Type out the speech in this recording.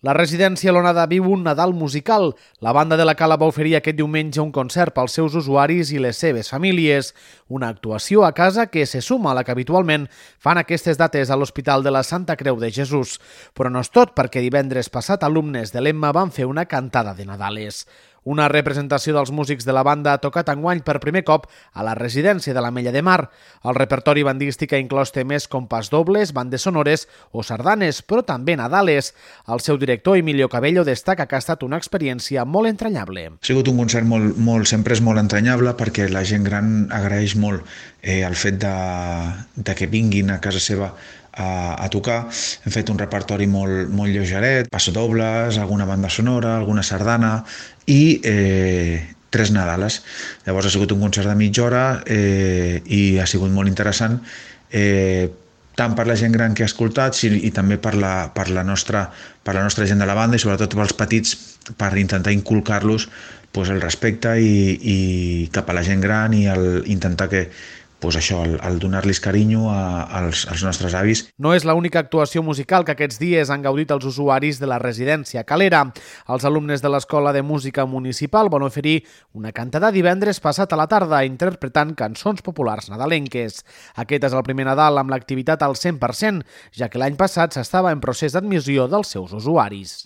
La residència L'Onada viu un Nadal musical. La banda de la Cala va oferir aquest diumenge un concert pels seus usuaris i les seves famílies. Una actuació a casa que se suma a la que habitualment fan aquestes dates a l'Hospital de la Santa Creu de Jesús. Però no és tot, perquè divendres passat alumnes de l'Emma van fer una cantada de Nadales. Una representació dels músics de la banda ha tocat enguany per primer cop a la residència de l'Ametlla de Mar. El repertori bandístic ha inclòs temes com pasdobles, bandes sonores o sardanes, però també Nadales. El seu director, Emilio Cabello, destaca que ha estat una experiència molt entranyable. Ha sigut un concert sempre és molt entranyable perquè la gent gran agraeix molt el fet de que vinguin a casa seva a tocar. Hem fet un repertori molt lleugeret, passadobles, alguna banda sonora, alguna sardana i 3 Nadales. Llavors ha sigut un concert de mitja hora i ha sigut molt interessant, tant per la gent gran que ha escoltat i també per la nostra gent de la banda i sobretot pels petits, per intentar inculcar-los el respecte i cap a la gent gran i intentar que el donar-los carinyo als nostres avis. No és l'única actuació musical que aquests dies han gaudit els usuaris de la residència Calera. Els alumnes de l'Escola de Música Municipal van oferir una cantada divendres passat a la tarda interpretant cançons populars nadalenques. Aquest és el primer Nadal amb l'activitat al 100%, ja que l'any passat s'estava en procés d'admissió dels seus usuaris.